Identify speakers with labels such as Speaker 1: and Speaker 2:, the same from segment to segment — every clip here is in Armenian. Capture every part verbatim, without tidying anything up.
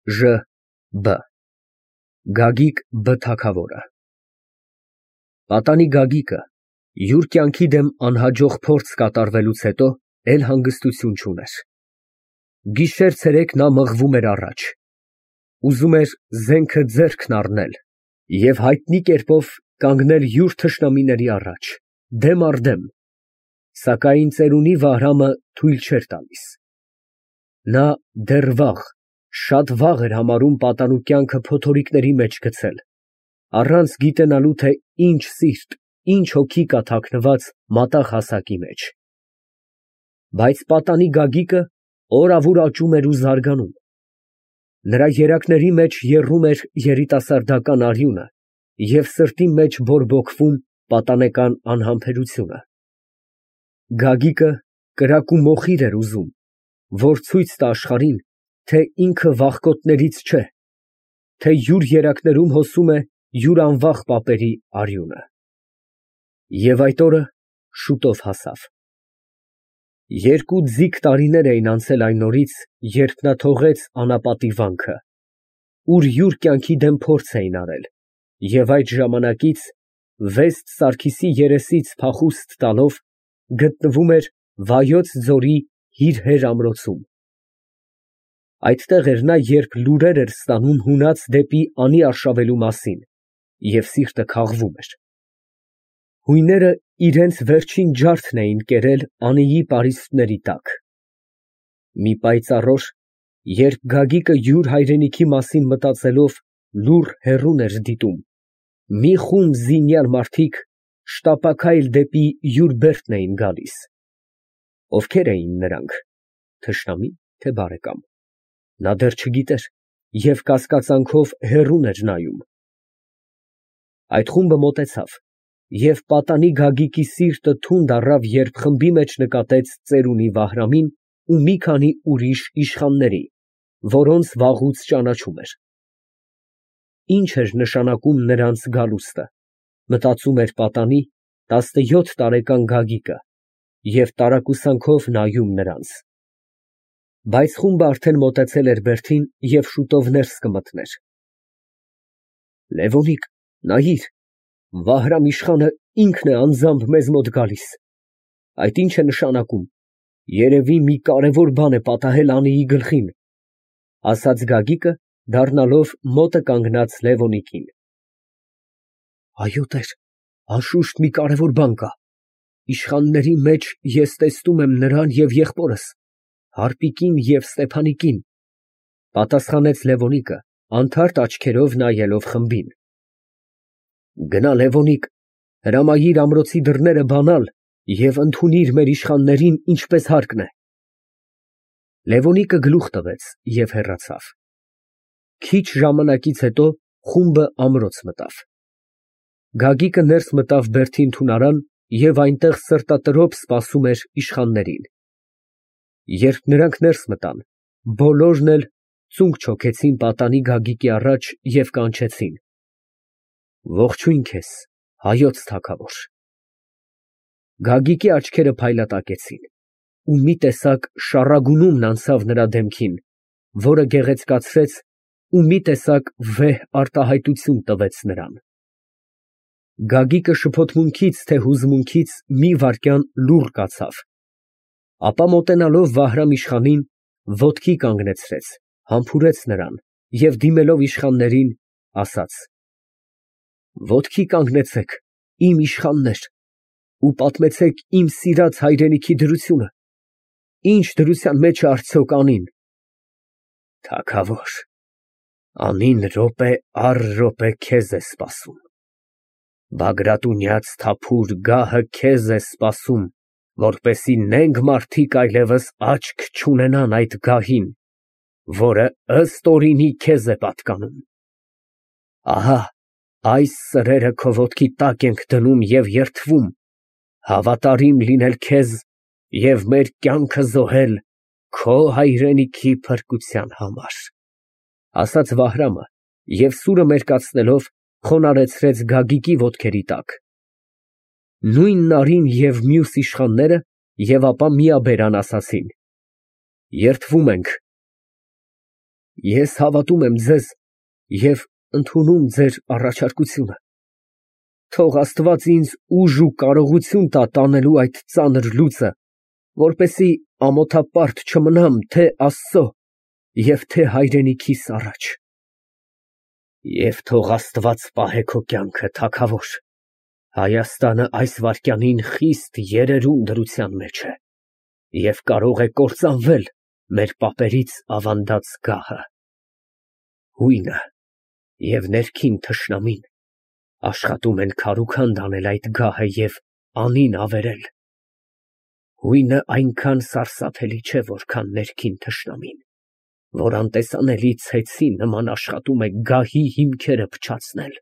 Speaker 1: Ժ Բ Գագիկ Բ թագավորը Պատանի Գագիկը յուր կյանքի դեմ անհաջող փորձ կատարվելուց հետո էլ հանգստություն չուներ։ Գիշեր֊ցերեկ նա մղվում էր առաջ, ուզում էր զենքը ձեռքն առնել և հայտնի կերպով կանգնել յուր թշնամիների առաջ, դեմ առ դեմ, սակայն ծերունի Վահրամը թույլ չէր տալիս։ Նա դեռ վաղ, շատ վաղ էր համարում պատանու կյանքը փոթորիկների մեջ գցել, առանց գիտենալու, թե ինչ սիրտ, ինչ հոգի կա թաքնված մատաղ հասակի մեջ։ Բայց պատանի Գագիկը օր֊ավուր աճում էր ու զարգանում։ Նրա երակների մեջ եռում էր երիտասարդական արյունը և սրտի մեջ բորբոքվում պատանեկան անհամբերությունը։ Գագիկը կրակ ու մոխիր էր ուզում, որ ցույց տա աշխարհին, թե ինքը վախկոտներից չէ, թե յուր երակներում հոսում է յուր անվախ պապերի արյունը։ Եվ այդ օրը շուտով հասավ։ Երկու ձիգ տարիներ էին անցել այն օրից, երբ նա թողեց անապատի վանքը, ուր յուր կյանքի դեմ փորձ էին արել, և այդ ժամանակից Վեստ Սարգիսի երեսից փախուստ տալով գտնվում էր Վայոց ձորի Հիրհեր ամրոցում։ Այդտեղ էր նա, երբ լուրեր էր ստանում հունած դեպի անի արշավելու մասին, և սիրտը քաղվում էր։ Հույները իրենց վերջին ջարդն էին կերել անիի պարիսպների տակ։ Մի պայծառ օր, երբ Գագիկը յուր հայրենիքի մասին մտածելով լուռ հեռուն էր դիտում, մի խումբ զինյալ մարդիկ շտապաքայլ դեպի յուր բերդն էին գալիս։ Ովքեր էին նրանք, թշնամի՞, թե բարեկամ, նա դեռ չգիտեր և կասկածանքով հեռուն էր նայում։ Այդ խումբը մոտեցավ, և պատանի Գագիկի սիրտը թունդ առավ, երբ խմբի մեջ նկատեց ծերունի Վահրամին ու մի քանի ուրիշ իշխանների, որոնց վաղուց ճանաչում էր։ Ի՞նչ էր նշանակում նրանց գալուստը, մտածում էր պատանի տասնյոթ տարեկան Գագիկը և տարակուսանքով նայում նրանց։ Բայց խումբը արդեն մոտեցել էր բերդին և շուտով ներս կմտներ։ Լևոնիկ, նայիր, Վահրամ իշխանը ինքն է անձամբ մեզ մոտ գալիս, այդ ի՞նչ է նշանակում, երևի մի կարևոր բան է պատահել անիի գլխին, ֊ ասաց Գագիկը, դառնալով մոտը կանգնած Լևոնիկին։ Այո տեր, անշուշտ մի կարևոր բան կա, իշխանների մեջ ես տեսնում եմ նրան և եղբորս, Հարպիկին և Ստեփանիկին, ֊ պատասխանեց Լևոնիկը, անթարթ աչքերով նայելով խմբին։ Գնա, Լևոնիկ, հրամայիր ամրոցի դռները բանալ և ընդունիր մեր իշխաններին ինչպես հարկն է։ Լևոնիկը գլուխ տվեց և հեռացավ։ Քիչ ժամանակից հետո խումբը ամրոց մտավ։ Գագիկը ներս մտավ բերդի ընդունարան և այնտեղ սրտատրոփ սպասում էր իշխաններին։ Երբ նրանք ներս մտան, բոլորն էլ ծունկ չոքեցին պատանի Գագիկի առաջ և կանչեցին. Ողջույն քեզ, հայոց թագավոր։ Գագիկի աչքերը փայլատակեցին, ու մի տեսակ շառագունումն անցավ նրա դեմքին, որը գեղեցկացրեց ու մի տեսակ վեհ արտահայտություն տվեց նրան։ Գագիկը շփոթմունքից թե հուզմունքից մի վայրկյան լուռ կացավ, ապա մոտենալով Վահրամ իշխանին, ոտքի կանգնեցրեց, համբուրեց նրան և դիմելով իշխաններին, ասաց. Ոտքի կանգնեցեք, իմ իշխաններ, ու պատմեցեք իմ սիրած հայրենիքի դրությունը, ինչ դրության մեջ է արդյոք անին։ Թագավոր, անին րոպե առ րոպե քեզ է սպասում, Բագրատունյաց թափուր գահը քեզ է սպասում, որպեսզի նենգ մարդիկ այլևս աչք չունենան այդ գահին, որը ըստ օրինի քեզ է պատկանում։ Ահա այս սրերը քո ոտքի տակ ենք դնում և երդվում, հավատարիմ լինել քեզ և մեր կյանքը զոհել քո հայրենիքի փրկության համար, ֊ ասաց Վահրամը և սուրը մերկացնելով խոնարհեցրեց Գագիկի ոտքերի տակ։ Նույն նարին և մյուս իշխանները և ապա միաբերան ասացին. Երդվում ենք։ Ես հավատում եմ ձեզ և ընդունում ձեր առաջարկությունը, թող Աստված ինձ ուժ ու կարողություն տա տանելու այդ ծանր լուծը, որպեսզի ամոթապարտ չմնամ թե Աստծո և թե հայրենիքիս առաջ։ Եվ թող Աստված պահե քո կյանքը, թագավոր, Հայաստանը այս վայրկյանին խիստ երերուն դրության մեջ է և կարող է կործանվել մեր պապերից ավանդած գահը։ Հույնը և ներքին թշնամին աշխատում են քարուքանդ անել այդ գահը և անին ավերել։ Հույնը այնքան սարսափելի չէ, որքան ներքին թշնամին, որ անտեսանելի ցեցի նման աշխատում է գահի հիմքերը փչացնել։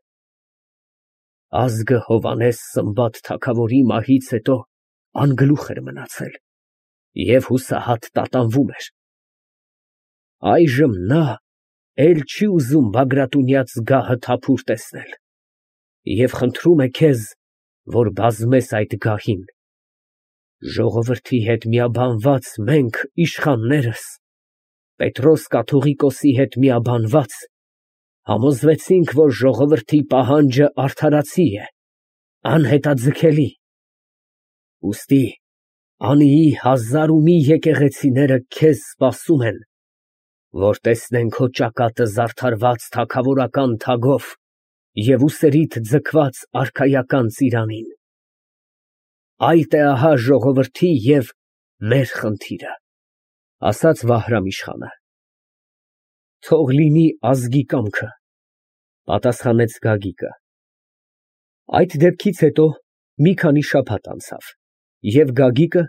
Speaker 1: Ազգը Հովհաննես Սմբատ թագավորի մահից հետո անգլուխ էր մնացել և հուսահատ տատանվում էր։ Այժմ նա էլ չի ուզում Բագրատունյաց գահը թափուր տեսնել և խնդրում է քեզ, որ բազմես այդ գահին։ Ժողովրդի հետ միաբանված մենք, իշխաններս, Պետրոս կաթողիկոսի հետ միաբանված, համոզվեցինք, որ ժողովրդի պահանջը արդարացի է, անհետաձգելի։ Ուստի անիի հազար ու մի եկեղեցիները քեզ սպասում են, որ տեսնեն քո ճակատը զարդարված թագավորական թագով և ուսերիդ ձգված արքայական ծիրանին։ Այդ է ահա ժողովրդի և մեր խնդիրը, ասաց Վահրամ֊իշխանը։ Թող լինի ազգի կամքը, պատասխանեց Գագիկը։ Այդ դեպքից հետո մի քանի շաբաթ անցավ, և Գագիկը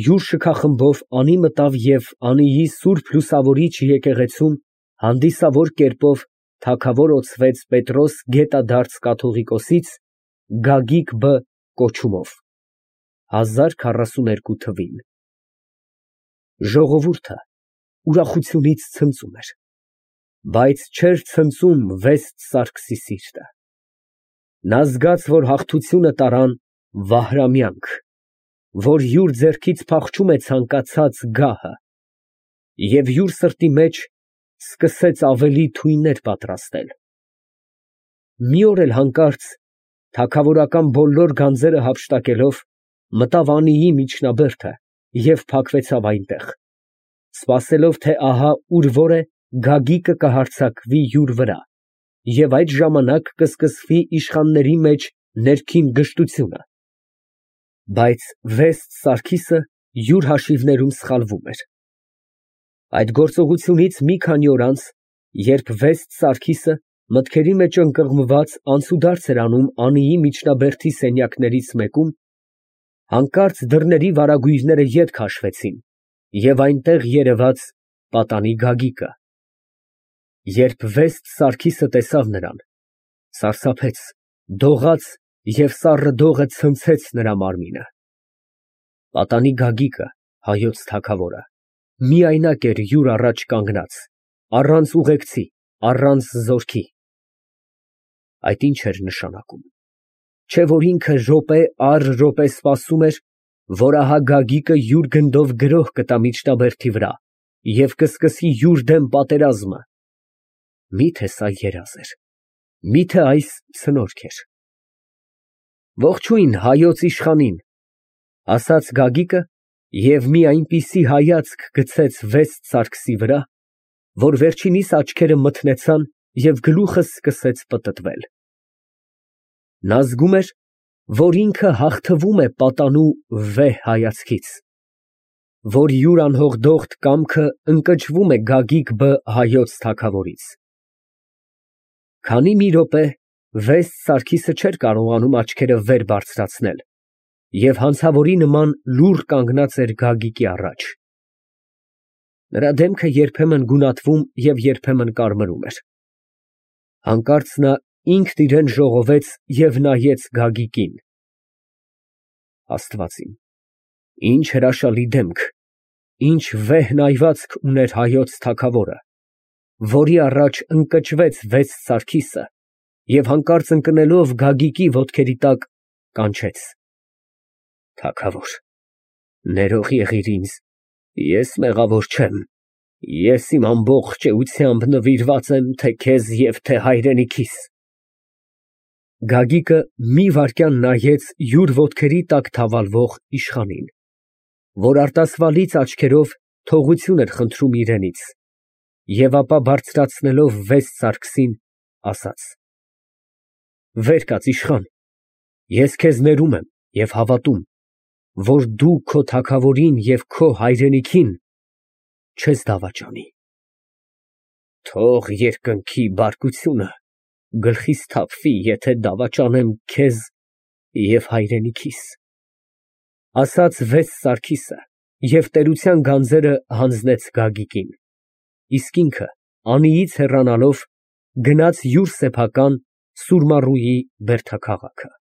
Speaker 1: յուր շքախմբով անի մտավ և անիի սուրբ լուսավորիչ եկեղեցում հանդիսավոր կերպով թագավոր օցվեց Պետրոս գետադարձ կաթողիկոսից Գագիկ Բ կոչումով, հազար քառասուն երկու թվին։ Ժողովուրդը ուրախությունից ցնծում էր, բայց չէր ցնծում Վեստ Սարգսի սիրտը։ Նա զգաց, որ հաղթությունը տարան Վահրամյանք, որ յուր ձեռքից փախչում է ցանկացած գահը, և յուր սրտի մեջ սկսեց ավելի թույներ պատրաստել։ Մի օր էլ հանկարծ, թագավորական բոլոր գանձերը հափշտակելով, մտավ անիի միջնաբերդը և փակվեցավ այնտեղ, սպասելով, թե ահա ուր որ է Գագիկը կհարձակվի յուր վրա և այդ ժամանակ կսկսվի իշխանների մեջ ներքին գժտությունը։ Բայց Վեստ Սարգիսը յուր հաշիվներում սխալվում էր։ Այդ գործողությունից մի քանի օր անց, երբ Վեստ Սարգիսը մտքերի մեջ ընկղմված անցուդարձ էր անում անիի միջնաբերդի սենյակներից մեկում, հանկարծ դռների վարագույրները ետ քաշվեցին, և այնտեղ երևաց պատանի Գագիկը։ Երբ Վեստ Սարգիսը տեսավ նրան, սարսափեց, դողաց և սառը դողը ցնցեց նրա մարմինը։ Պատանի Գագիկը, հայոց թագավորը, միայնակ էր յուր առաջ կանգնած, առանց ուղեկցի, առանց զորքի։ Այդ ի՞նչ էր նշանակում, չէ՞ որ ինքը րոպե առ րոպե սպասում էր, որ ահա Գագիկը յուր գնդով գրոհ կտա միջնաբերդի վրա և կսկսի յուր դեմ պատերազմը։ Մի՞թե սա երազ էր, մի՞թե այս ցնորք էր։ Ողջույն հայոց իշխանին, ասաց Գագիկը և մի այնպիսի հայացք գցեց Վեստ Սարգսի վրա, որ վերջինիս աչքերը մթնեցան և գլուխը սկսեց պտտվել։ Նա զգում էր, որ ինքը հաղթվում է պատանու վեհ հայացքից, որ յուր անհողդողդ կամքը ընկճվում է Գագիկ Բ հայոց թագավորից։ Քանի մի րոպե Վեստ Սարգիսը չէր կարողանում աչքերը վեր բարձրացնել և հանցավորի նման լուռ կանգնած էր Գագիկի առաջ։ Նրա դեմքը երբեմն գունատվում և երբեմն կարմրում էր։ Հանկարծ նա ինքն իրան ժողովեց և նայեց Գագիկին։ Աստված իմ, ինչ հրաշալի դեմք, ինչ վեհ նայվածք ուներ հայոց թագավորը, որի առաջ ընկճվեց Վեստ Սարգիսը և հանկարծ ընկնելով Գագիկի ոտքերի տակ, կանչեց. Թագավոր, ներող եղիր ինձ, ես մեղավոր չեմ։ Ես իմ ամբողջ էությամբ նվիրված եմ թե քեզ և թե հայրենիքիս։ Գագիկը մի վայրկյան նայեց յուր ոտքերի տակ թավալվող իշխանին, որ արտասվալից աչքերով թողություն էր խնդրում իրենից, և ապա բարձրացնելով վեց սարգսին, ասաց. «Վեր կաց, իշխան, ես քեզ ներում եմ և հավատում, որ դու քո թագավորին և քո հայրենիքին չես դավաճանի»։ Թող երկնքի բարկությունը գլխիս թափվի, եթե դավաճանեմ քեզ և հայրենիքիս, ասաց վեց Սարգիսը և տերության գանձերը հանձնեց Գագիկին, իսկ ինքը անիից հեռանալով գնաց յուր սեփական Սուրմառուի բերդաքաղաքը։